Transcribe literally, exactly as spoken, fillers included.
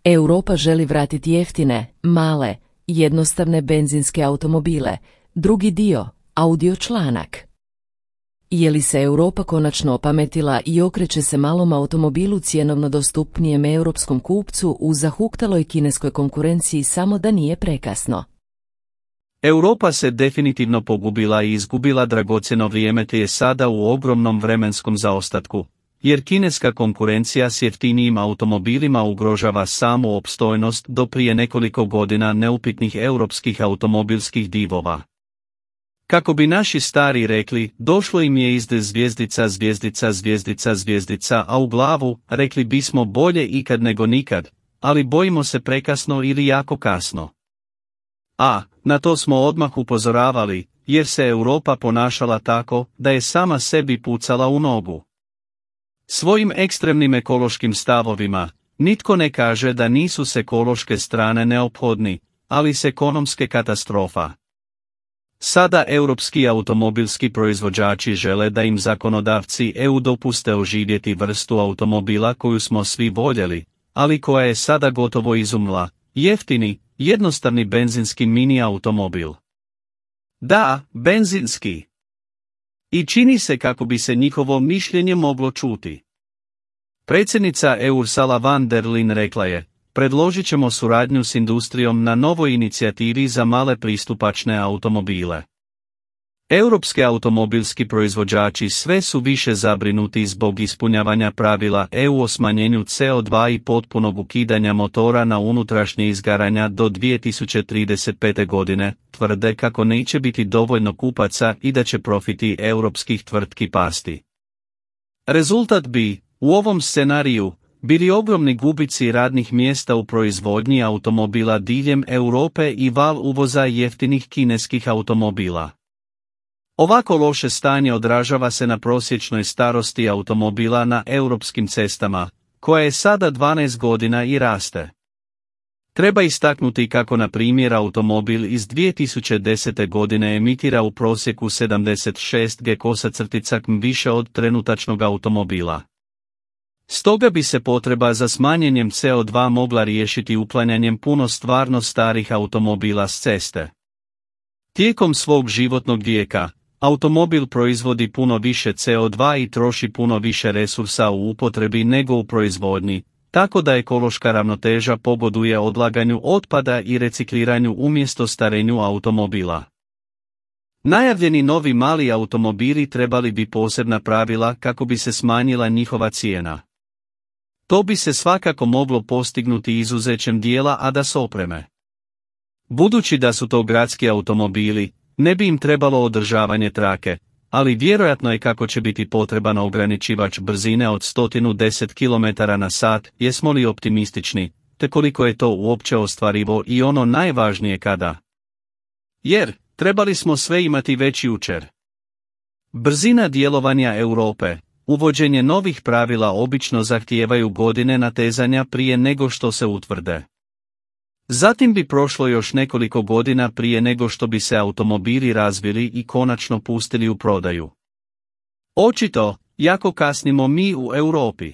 Europa želi vratiti jeftine, male, jednostavne benzinske automobile. Drugi dio, audio članak. Je li se Europa konačno opametila i okreće se malom automobilu cjenovno dostupnijem europskom kupcu u zahuktaloj kineskoj konkurenciji samo da nije prekasno? Europa se definitivno pogubila i izgubila dragocjeno vrijeme te je sada u ogromnom vremenskom zaostatku, jer kineska konkurencija s jeftinijim automobilima ugrožava samu opstojnost do prije nekoliko godina neupitnih europskih automobilskih divova. Kako bi naši stari rekli, došlo im je izde zvjezdica, zvjezdica, zvjezdica, zvjezdica, a u glavu, rekli bismo bolje ikad nego nikad, ali bojimo se prekasno ili jako kasno. A, na to smo odmah upozoravali, jer se Europa ponašala tako, da je sama sebi pucala u nogu. Svojim ekstremnim ekološkim stavovima, nitko ne kaže da nisu s ekološke strane neophodni, ali s ekonomske katastrofa. Sada europski automobilski proizvođači žele da im zakonodavci E U dopuste oživjeti vrstu automobila koju smo svi voljeli, ali koja je sada gotovo izumla, jeftini, jednostavni benzinski mini automobil. Da, benzinski. I čini se kako bi se njihovo mišljenje moglo čuti. Predsjednica E U Ursula von der Leyen rekla je, predložit ćemo suradnju s industrijom na novoj inicijativi za male pristupačne automobile. Europski automobilski proizvođači sve su više zabrinuti zbog ispunjavanja pravila E U o smanjenju C O dva i potpunog ukidanja motora na unutrašnje izgaranja do dvije tisuće trideset pete. godine, tvrde kako neće biti dovoljno kupaca i da će profiti europskih tvrtki pasti. Rezultat bi, u ovom scenariju, bili ogromni gubici radnih mjesta u proizvodnji automobila diljem Europe i val uvoza jeftinih kineskih automobila. Ovako loše stanje odražava se na prosječnoj starosti automobila na europskim cestama, koja je sada dvanaest godina i raste. Treba istaknuti kako na primjer automobil iz dvije tisuće desete. godine emitira u prosjeku sedamdeset šest gkm više od trenutačnog automobila. Stoga bi se potreba za smanjenjem C O dva mogla riješiti uklanjanjem puno stvarno starih automobila s ceste. Tijekom svog životnog vijeka, automobil proizvodi puno više C O dva i troši puno više resursa u upotrebi nego u proizvodnji, tako da ekološka ravnoteža pogoduje odlaganju otpada i recikliranju umjesto starenju automobila. Najavljeni novi mali automobili trebali bi posebna pravila kako bi se smanjila njihova cijena. To bi se svakako moglo postignuti izuzećem dijela A D A S opreme. Budući da su to gradski automobili, ne bi im trebalo održavanje trake, ali vjerojatno je kako će biti potreban ograničivač brzine od sto deset kilometara na sat, jesmo li optimistični, te koliko je to uopće ostvarivo i ono najvažnije kada. Jer, trebali smo sve imati već jučer. Brzina djelovanja Europe, uvođenje novih pravila obično zahtijevaju godine natezanja prije nego što se utvrde. Zatim bi prošlo još nekoliko godina prije nego što bi se automobili razvili i konačno pustili u prodaju. Očito, jako kasnimo mi u Europi.